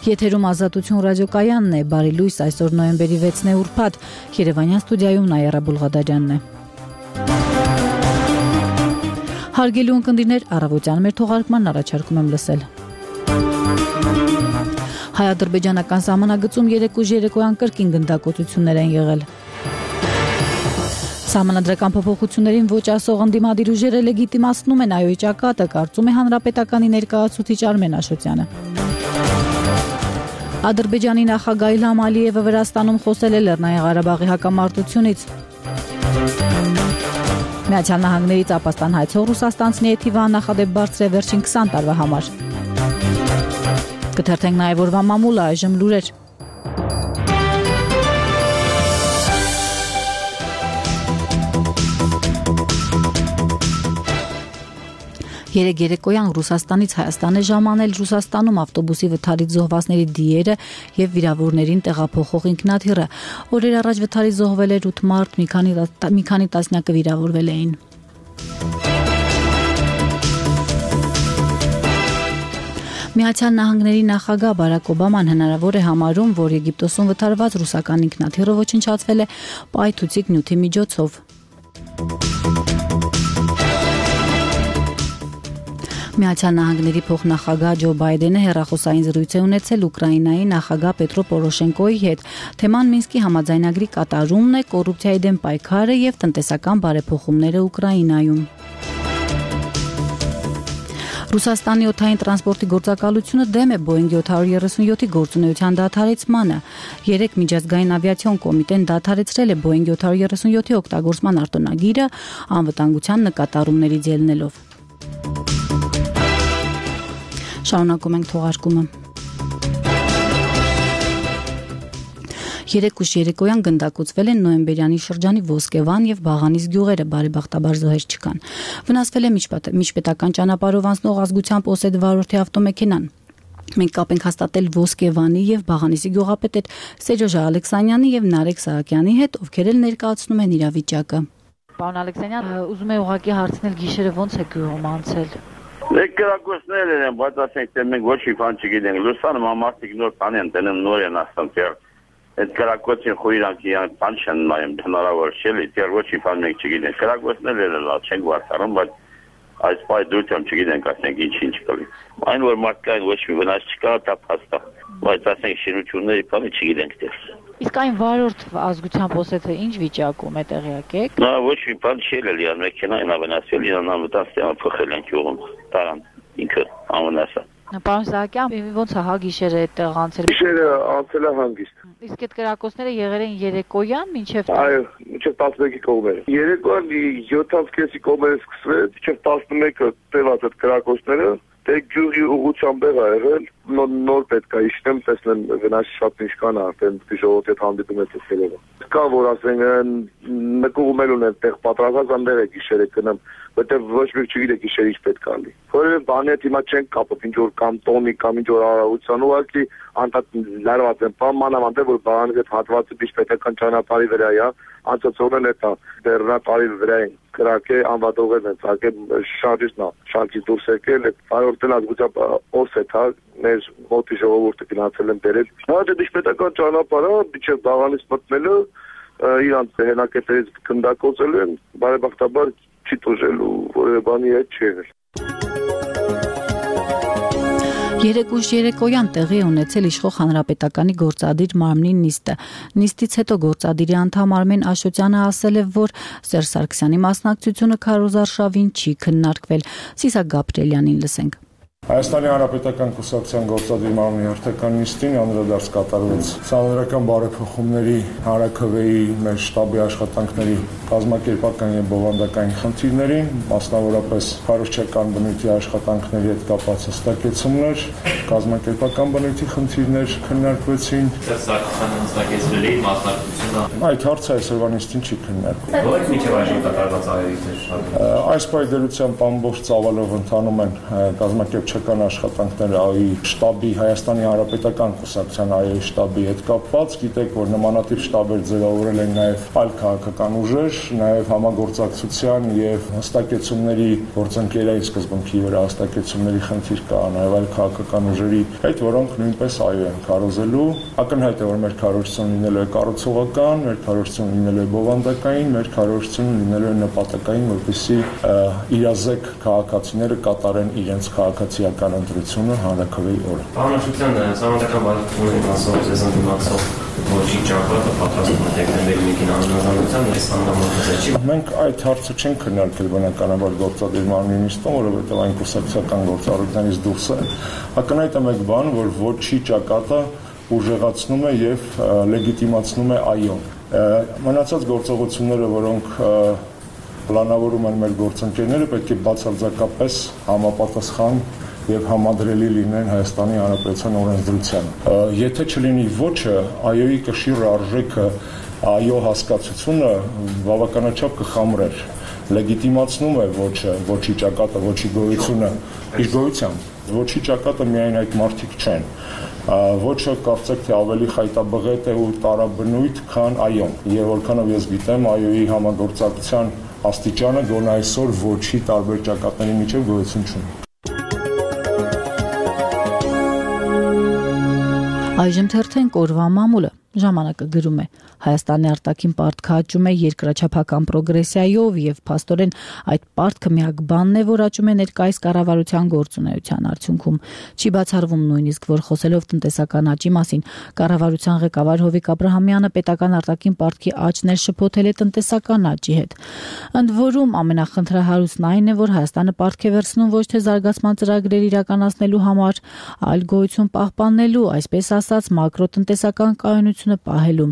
Եթերում Ազատություն ռադիոկայանն է, բարի լույս, այսօր նոյեմբերի 6-ն է ուրբաթ, Երևանյան ստուդիայում Նայերա Բուլղադարյանն է։ Հարգելի ունկնդիրներ, առավոտյան մեր թողարկման առաջարկում եմ լսել։ Հայ-ադրբեջանական սահմանագծում 3 ուժ երեկոյան կրկին գնդակոծություններ են եղել։ Սահմանադրական փոփոխություններին ոչ ասող ընդդիմադիր ուժերը լեգիտիմացնում են այոյի ճակատը, կարծում է հանրապետականի ներկայացուցիչ Արմեն Աշոտյանը։ Ադրբեջանի նախագահ Իլհամ Ալիևը Վրաստանում խոսել է Լեռնային Ղարաբաղի հակամարտությունից։ Միացյալ Նահանգներից ապաստան հայցող ռուսաստանցիների թիվը աննախադեպ բարձր է վերջին 20 տարվա համար։ Կթերթենք նաև օրվա մամուլը, այժմ լուրեր։ Երեկ երեկոյան Ռուսաստանից Հայաստան է ժամանել Ռուսաստանում ավտոբուսի վթարից զոհվածների դիերը եւ վիրավորներին տեղափոխող ինքնաթիռը։ Օրեր առաջ վթարից զոհվել էր 8 մարդ, մի քանի տասնյակը վիրավորվել էին։ Միացյալ Նահանգների նախագահ Բարաք Օբաման հնարավոր է համարում, որ Եգիպտոսում վթարված ռուսական ինքնաթիռը ոչնչացվել է պայթուցիկ նյութի միջոցով։ Միացյալ Նահանգների փոխնախագահ Ջո Բայդենը հեռախոսային զրույց է ունեցել Ուկրաինայի նախագահ Պետրո Պորոշենկոյի հետ։ Թեման Մինսկի համաձայնագրի կատարումն է, կոռուպցիայի դեմ պայքարը եւ տնտեսական բարեփոխումները Ուկրաինայում։ Ռուսաստանի օդային տրանսպորտի գործակալությունը դեմ է Boeing 737-ի գործունեության դադարեցմանը։ Երեկ միջազգային ավիացիոն կոմիտեն դադարեցրել է Boeing 737-ի օգտագործման արտոնագիրը անվտանգության նկատառումներից ելնելով։ Շարունակում ենք թողարկումը։ 3 ուժ երեկոյան գնդակոծվել են Նոյեմբերյանի շրջանի Ոսկեվան եւ Բաղանիս գյուղերը, բարեբախտաբար զոհեր չկան։ Վնասվել է միջպետական ճանապարհով անցնող ազգությամբ Օսետ վարորդի ավտոմեքենան։ Մենք կապ ենք հաստատել Ոսկեվանի եւ Բաղանիսի գյուղապետ Սերժ Ալեքսանյանի եւ Նարեկ Սահակյանի հետ, ովքեր էլ ներկայացնում են իրավիճակը։ Պարոն Ալեքսանյան, ուզում եմ ուղղակի հարցնել, գիշերը ոնց է գյուղում անցել։ Լեկրակոսներ են, բայց ասենք թե մենք ոչ մի բան չգիտենք։ Լուսանը մամարտիկ նոր բան են դնում, նոր են ասում թե այդ կրակոցին խույրանքի բան չեն նայում, հնարավոր չէ, դեռ ոչ մի բան մենք չգիտենք։ Կրակոցները լավ չեն վարտարում, բայց այս պայդրությամբ չգիտենք, ասենք ինչ կլի։ Այն որ մարդկային ոչ մի վնաս չկա, դա փաստ է, բայց ասենք շինությունների բանը չգիտենք դեռ։ Իսկ այն վարորդ ազգությամբ Օսեթը ինչ վիճակում է, տեղյակ եք։ Նա ոչ մի բան չի ելել, մեքենային ավնասվել, իրան անվտանգ փոխել են գյուղում, տարան ինքը անվնասը։ Պարոն Սահակյան, ոնց է հա գիշերը այդտեղ անցել։ Գիշերը անցել է հանգիստ։ Իսկ այդ կրակոցները եղել են երեկոյան մինչև Այո, մինչև 11-ի կողմերը։ Երեկոյան 7:30-ի կողմերը սկսվել, մինչև 11-ը տևած այդ կրակոցները, դե գյուղի ուղղությամբ եղա եղել, նոր պետք է իջնեմ, տեսնեմ վնասի շատ ինչ կան արդեն ժողովրդի հետ հանդիպում է տեսնելով։ Կա որ ասենք նկուղում են այդտեղ պատրաստած անտեղ է գիշերը գնամ, որտեղ ոչ մեկ չգիտե գիշերը ինչ պետք է ալի։ Որևէ բանի հետ հիմա չենք կապում, ինչ որ կամ տոնի կամ ինչ որ արարողության, ուղղակի անդադ լարված են, մանավանդ որ բանի հետ հատվածը միջպետական ճանապարհի վրա է, անցածողն է դա դեռնատարի վրա են կրակե անվատողներ են ցակել շարժիչնա շարժից դուրս եկել վարորդն ազգությամբ Օսեթ հա մեր մոտի ժողովուրդը գնացել են բերել հա դա դիպետական ճանապարհը միջև Բաղանից մտնելը իրանց հենակետերից գնդակոծել են բարեբախտաբար չի տուժելու որևէ բանի հետ չի եղել 3 ուժ երեկոյան տեղի ունեցել իշխող հանրապետականի գործադիր մարմնի նիստը։ Նիստից հետո գործադիրի անդամ Արմեն Աշոտյանը ասել է, որ Սերժ Սարգսյանի մասնակցությունը քարոզարշավին չի քննարկվել։ Սիսակ Գաբրելյանին լսենք։ Հայաստանի Հանրապետական Կուսակցության գործադիր մարմնի հերթական նիստին անդրադարձ կատարվեց սահմանադրական բարեփոխումների հանրաքվեի մեր շտաբի աշխատանքների կազմակերպական եւ բովանդակային խնդիրներին, մասնավորապես քարոզչական բնույթի աշխատանքների հետ կապված հստակեցումներ, կազմակերպական բնույթի խնդիրներ քննարկվեցին։ Սարգսյանը հստակեցրել է մասնակցությունը։ Այդ հարցը այսօրվա նիստին չի քննարկվել։ Ո՞ր միջև այժմ կատարված այրից է շտաբի։ Այս պայմանությամբ ամբողջ ծավալով ընթանում են կազմակերպչական ստաբեաշխական աշխատանքները ԱՅՈ-ի շտաբի Հայաստանի Հանրապետական կուսակցության ԱՅՈ-ի շտաբի հետ կապված, գիտեք, որ նմանատիպ շտաբեր ձևավորել են նաև այլ քաղաքական ուժեր, նաև համագործակցության եւ հստակեցումների գործընկերային սկզբունքի վրա հստակեցումների խնդիր կա նաև այլ քաղաքական ուժերի հետ, որոնք նույնպես ԱՅՈ են քարոզելու։ Ակնհայտ է, որ մեր քարոզությունը լինելու է կառուցողական, մեր քարոզությունը լինելու է բովանդակային, մեր քարոզությունը լինելու է նպատակային, որպեսզի իրազեկ քաղաքացիները կատարեն իրենց քաղաքացիական ընտրությունը հանրաքվեի օրը։ Պարոն Սահմանադրական բարեփոխումների մասով ձեզ ընդդիմացող ոչի ճակատը պատրաստվում է դեկտեմբերի 1-ին անհնարինության այս հանդամակացի։ Մենք այդ հարցը չենք քննարկել բնականաբար գործադիր մարմնի նիստում, որովհետև այն կուսակցական գործառույթներից դուրս է։ Ակնհայտ է մեկ բան, որ ոչի ճակատը ուժեղացնում է եւ լեգիտիմացնում է ԱՅՈ-ն։ Մնացած գործողությունները, որոնք պլանավորում են մեր գործընկերները, պետք է բացարձակապես համապատասխան եւ համադրելի լինեն Հայաստանի Հանրապետության օրենսդրությանը։ Եթե չլինի ոչը, ԱՅՈ-ի կշիռ արժեքը, ԱՅՈ հասկացությունը բավականաչափ կխամրեր։ Լեգիտիմացնում է ոչը, ոչի ճակատը, ոչի գոյությունը իր գոյությամբ։ Ոչի ճակատը միայն այդ մարդիկ չեն։ Ոչը կարծեք թե ավելի խայտաբղետ է ու տարաբնույթ, քան ԱՅՈ-ն։ Եվ որքանով ես գիտեմ, ԱՅՈ-ի համագործակցության աստիճանը գոնե այսօր ոչի տարբեր ճակատների միջև գոյություն չունի։ Այժմ թերթենք օրվա մամուլը։ Ժամանակը գրում է. Հայաստանի արտաքին պարտքը աճում է երկրաչափական պրոգրեսիայով եւ փաստորեն այդ պարտքը միակ բանն է, որ աճում է ներկայիս կառավարության գործունեության արդյունքում։ Չի բացառվում նույնիսկ, որ խոսելով տնտեսական աճի մասին, կառավարության ղեկավար Հովիկ Աբրահամյանը պետական արտաքին պարտքի աճն է շփոթել է տնտեսական աճի հետ։ Ընդ որում ամենախնդրահարույցն այն է, որ Հայաստանը պարտք է վերցնում ոչ թե զարգացման ծրագրեր իրականացնելու համար, այլ գոյություն պահպանելու, այսպես ասած, մակրոտնտեսական կայունությունը պահելու։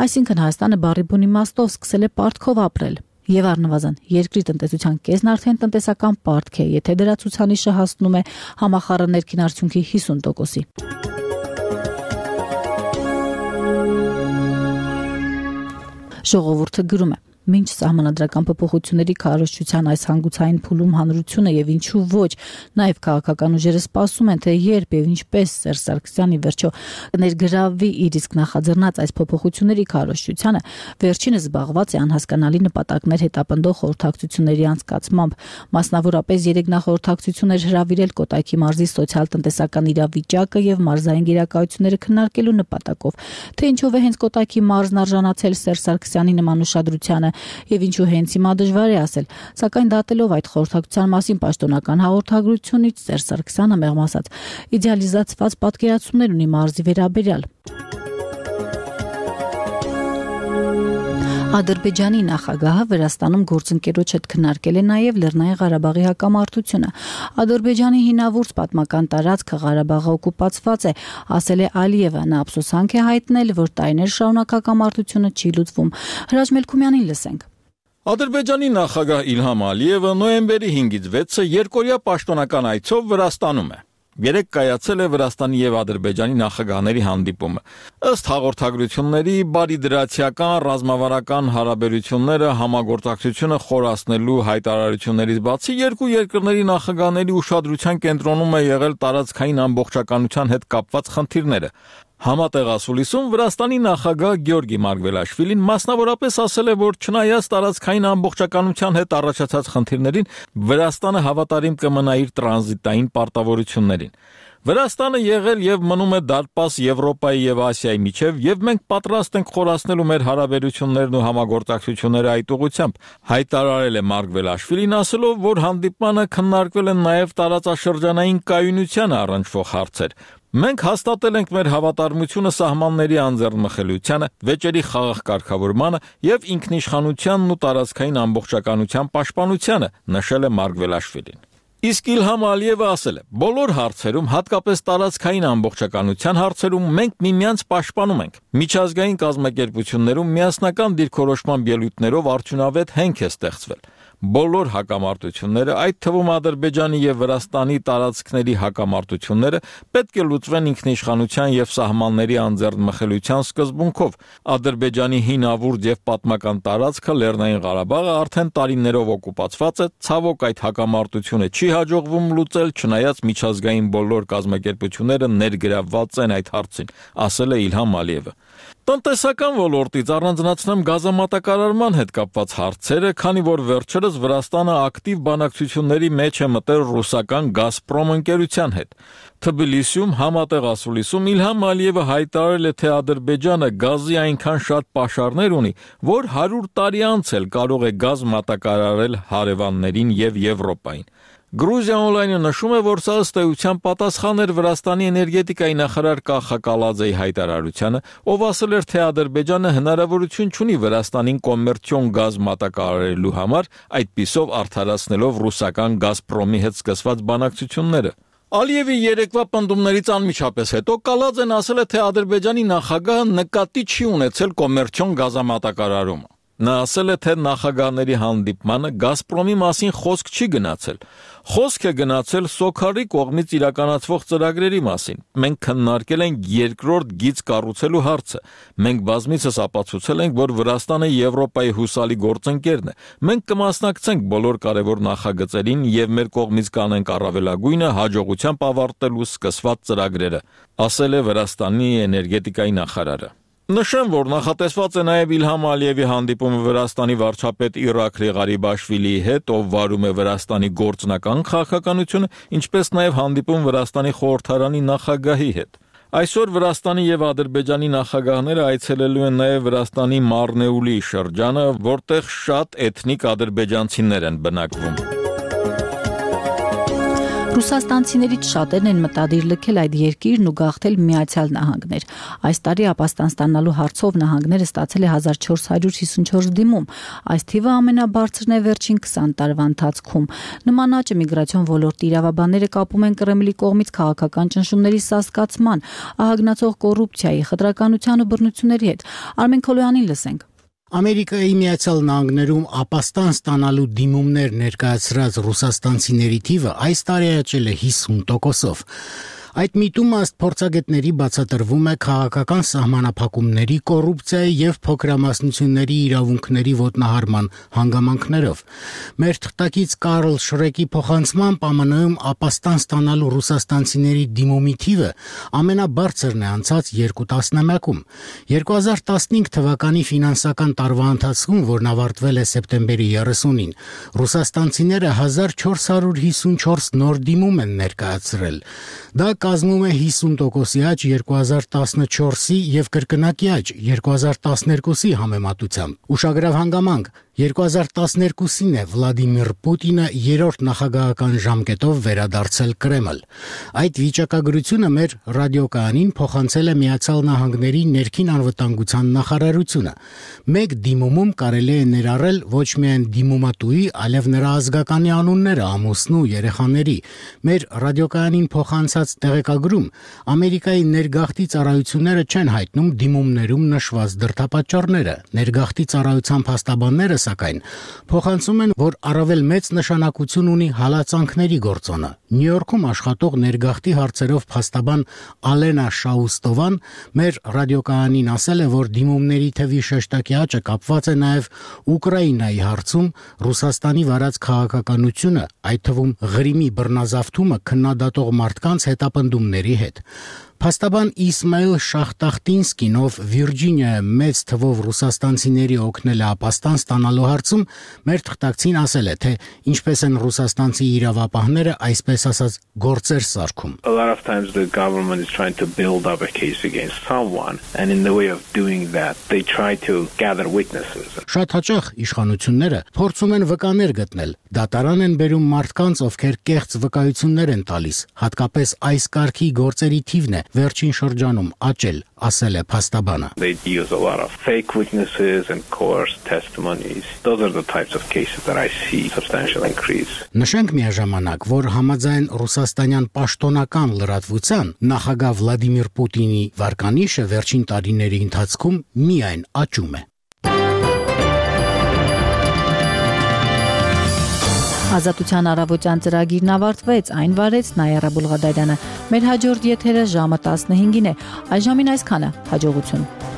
Այսինքն Հայաստանը բառի բուն իմաստով սկսել է պարտքով ապրել։ Եվ առնվազն երկրի տնտեսության կեսն արդեն տնտեսական պարտք է, եթե դրա ցուցանիշը հասնում է համախառն ներքին արդյունքի 50%-ի։ Ժողովուրդը գրում է. Մինչ սահմանադրական փոփոխությունների քարոզչության այս հանգուցային փուլում հանրությունը եւ ինչու ոչ, նաեւ քաղաքական ուժերը սպասում են, թե երբ եւ ինչպես Սերժ Սարգսյանի վերջո կներգրավվի իր իսկ նախաձեռնած այս փոփոխությունների քարոզչությանը, վերջինս զբաղված է անհասկանալի նպատակներ հետապնդող խորհրդակցությունների անցկացմամբ, մասնավորապես 3 նախորդակցություններ հրավիրել Կոտայքի մարզի սոցիալ-տնտեսական իրավիճակը եւ մարզային գերակայությունները քննարկելու նպատակով, թե ինչով է հենց Կոտայքի մարզն արժանացել Սերժ Սարգսյանի նման ուշադրությանը եւ ինչու հենց հիմա դժվար է ասել, սակայն դատելով այդ խորհրդակցության մասին պաշտոնական հաղորդագրությունից Սերժ Սարգսյանը մեղմ ասած իդեալիզացված պատկերացումներ ունի մարզի վերաբերյալ։ Ադրբեջանի նախագահը Վրաստանում գործընկերոջ հետ քննարկել է նաև Լեռնային Ղարաբաղի հակամարտությունը։ Ադրբեջանի հինավուրց պատմական տարածքը Ղարաբաղը օկուպացված է, ասել է Ալիևը, նա ափսոսանք է հայտնել, որ տարիներ շարունակ հակամարտությունը չի լուծվում։ Հրաչ Մելքումյանին լսենք։ Ադրբեջանի նախագահ Իլհամ Ալիևը նոյեմբերի 5-ից 6-ը երկօրյա պաշտոնական այցով Վրաստանում է։ Երեկ կայացել է Վրաստանի եւ Ադրբեջանի նախագահների հանդիպումը։ Ըստ հաղորդագրությունների, բարիդրացիական ռազմավարական հարաբերությունները համագործակցությունը խորացնելու հայտարարություններից բացի երկու երկրների նախագահների ուշադրության կենտրոնում է եղել տարածքային ամբողջականության հետ կապված խնդիրները։ Համատեղ ասուլիսում Վրաստանի նախագահ Գյորգի Մարգվելաշվիլին մասնավորապես ասել է, որ չնայած տարածքային ամբողջականության հետ առաջացած խնդիրներին, Վրաստանը հավատարիմ կմնա իր տրանզիտային պարտավորություններին։ Վրաստանը եղել եւ մնում է դարպաս Եվրոպայի եւ Ասիայի միջև, եւ մենք պատրաստ ենք խորացնելու մեր հարաբերություններն ու համագործակցությունները այդ ուղղությամբ, հայտարարել է Մարգվելաշվիլին, ասելով, որ հանդիպմանը քննարկվել են նաեւ տարածաշրջանային կայունությանը առնչվող հարցեր։ Մենք հաստատել ենք մեր հավատարմությունը սահմանների անձեռնմխելիությանը, վեճերի խաղաղ կարգավորմանը եւ ինքնիշխանությանն ու տարածքային ամբողջականության պաշտպանությանը, նշել է Մարգվելաշվիլին։ Իսկ Իլհամ Ալիևը ասել է. բոլոր հարցերում, հատկապես տարածքային ամբողջականության հարցերում մենք միմյանց պաշտպանում ենք։ Միջազգային կազմակերպություններում միասնական դիրքորոշման ելույթներով արդյունավետ հենք է ստեղծվել։ Բոլոր հակամարտությունները, այդ թվում Ադրբեջանի եւ Վրաստանի տարածքների հակամարտությունները պետք է լուծվեն ինքնիշխանության եւ սահմանների անձեռնմխելիության սկզբունքով։ Ադրբեջանի հինավուրց եւ պատմական տարածքը Լեռնային Ղարաբաղը արդեն տարիներով օկուպացված է, ցավոք այդ հակամարտությունը չի հաջողվում լուծել, չնայած միջազգային բոլոր կազմակերպությունները ներգրավված են այդ հարցին, ասել է Իլհամ Ալիևը։ Տնտեսական ոլորտից առանձնացնեմ գազամատակարարման հետ կապված հարցերը, քանի որ վերջերս Վրաստանը ակտիվ բանակցությունների մեջ է մտել ռուսական Գազպրոմ ընկերության հետ։ Թբիլիսիում համատեղ ասուլիսում Իլհամ Ալիևը հայտարարել է, թե Ադրբեջանը գազի այնքան շատ պաշարներ ունի, որ 100 տարի անց էլ կարող է գազ մատակարարել հարևաններին եւ Եվրոպային։ Գրուզիա օնլայնը նշում է, որ սա ըստ էության պատասխան էր Վրաստանի էներգետիկայի նախարար Կախա Կալաձեի հայտարարությանը, ով ասել էր, թե Ադրբեջանը հնարավորություն չունի Վրաստանին կոմերցիոն գազ մատակարարելու համար, այդպիսով արդարացնելով ռուսական Գազպրոմի հետ սկսված բանակցությունները։ Ալիևի երեկվա պնդումներից անմիջապես հետո Կալաձեն ասել է, թե Ադրբեջանի նախագահը նկատի չի ունեցել կոմերցիոն գազամատակարարումը։ Նա ասել է, թե նախագահների հանդիպմանը Գազպրոմի մասին խոսք չի գնացել։ Խոսք է գնացել Սոքարի կողմից իրականացվող ծրագրերի մասին։ Մենք քննարկել ենք երկրորդ գիծ կառուցելու հարցը։ Մենք բազմիցս ապացուցել ենք, որ Վրաստանը Եվրոպայի հուսալի գործընկերն է։ Մենք կմասնակցենք բոլոր կարևոր նախագծերին եւ մեր կողմից կանենք առավելագույնը հաջողությամբ ավարտելու սկսված ծրագրերը, ասել է Վրաստանի էներգետիկայի նախարարը։ Նշեմ, որ նախատեսված է նաև Իլհամ Ալիևի հանդիպումը Վրաստանի վարչապետ Իրաքլի Ղարիբաշվիլիի հետ, ով վարում է Վրաստանի գործնական քաղաքականությունը, ինչպես նաև հանդիպում Վրաստանի խորհրդարանի նախագահի հետ։ Այսօր Վրաստանի եւ Ադրբեջանի նախագահները այցելելու են նաև Վրաստանի Մարնեուլի շրջանը, որտեղ շատ էթնիկ ադրբեջանցիներ են բնակվում։ Ռուսաստանցիներից շատերն են մտադիր լքել այդ երկիրն ու գաղթել Միացյալ Նահանգներ։ Այս տարի ապաստան ստանալու հարցով նահանգները ստացել է 1454 դիմում։ Այս թիվը ամենաբարձրն է վերջին 20 տարվա ընթացքում։ Նման աճը միգրացիոն ոլորտի իրավաբանները կապում են Կրեմլի կողմից քաղաքական ճնշումների սասկացման, ահագնացող կոռուպցիայի, խտրականության ու բռնությունների հետ։ Արմեն Քոլոյանին լսենք։ Ամերիկայի Միացյալ Նահանգներում ապաստան ստանալու դիմումներ ներկայացրած ռուսաստանցիների թիվը այս տարի աճել է 50%-ով։ Այդ միտումը ըստ փորձագետների բացատրվում է քաղաքական սահմանափակումների, կոռուպցիայի եւ փոքրամասնությունների իրավունքների ոտնահարման հանգամանքներով։ Մեր թղթակից Կարլ Շրեկի փոխանցմամբ ԱՄՆ-ում ապաստան ստանալու ռուսաստանցիների դիմումի թիվը ամենաբարձրն է անցած 2 տասնամյակում։ 2015 թվականի ֆինանսական տարվա ընթացքում, որն ավարտվել է սեպտեմբերի 30-ին, ռուսաստանցիները 1454 նոր դիմում են ներկայացրել։ Դա կազմում է 50% աճ 2014-ի եւ կրկնակի աճ 2012-ի համեմատությամբ։ Ուշագրավ հանգամանք 2012-ին է Վլադիմիր Պուտինը երրորդ նախագահական ժամկետով վերադարձել Կրեմլ։ Այդ վիճակագրությունը մեր ռադիոկայանին փոխանցել է Միացյալ Նահանգների ներքին անվտանգության նախարարությունը։ Մեկ դիմումում կարելի է ներառել ոչ միայն դիմումատուի, այլև նրա ազգականի անունները, ամուսնու, երեխաների։ Մեր ռադիոկայանին փոխանցած տեղեկագրում Ամերիկայի ներգաղթի ծառայությունները չեն հայտնում դիմումներում նշված դրդապատճառները։ Ներգաղթի ծառայության փաստաբանները սակայն փոխանցում են, որ առավել մեծ նշանակություն ունի հալածանքների գործոնը։ Նյու Յորքում աշխատող ներգաղթի հարցերով փաստաբան Ալենա Շաուստովան մեր ռադիոկայանին ասել է, որ դիմումների թվի շեշտակի աճը կապված է նաև Ուկրաինայի հարցում Ռուսաստանի վարած քաղաքականությունը, այդ թվում Ղրիմի բռնազավթումը քննադատող մարդկանց հետապնդումների հետ։ Փաստաբան Իսմայիլ Շախտախտինսկին, ով Վիրջինիայում մեծ թվով ռուսաստանցիների օգնել է ապաստան ստանալու հարցում, մեր թղթակցին ասել է, թե ինչպես են ռուսաստանցի իրավապահները այսպես ասած գործեր սարքում։ A lot of times the government is trying to build up a case against someone, and in the way of doing that, they try to gather witnesses. Շատ հաճախ իշխանությունները փորձում են վկաներ գտնել։ Դատարան են բերում մարդկանց, ովքեր կեղծ վկայություններ են տալիս։ Հատկապես այս կարգի գործերի թիվն է վերջին շրջանում աճել, ասել է փաստաբանը։ They use a lot of fake witnesses and coerced testimonies. Those are the types of cases that I see substantial increase. Նշենք միաժամանակ, որ համաձայն ռուսաստանյան պաշտոնական լրատվության նախագահ Վլադիմիր Պուտինի վարկանիշը վերջին տարիների ընթացքում միայն աճում է։ Ազատության առավոտյան ծրագիրն ավարտվեց, այն վարեց Նայարա Բուլղադարյանը։ Մեր հաջորդ եթերը ժամը 15-ին է։ Այժմին այսքանը, հաջողություն։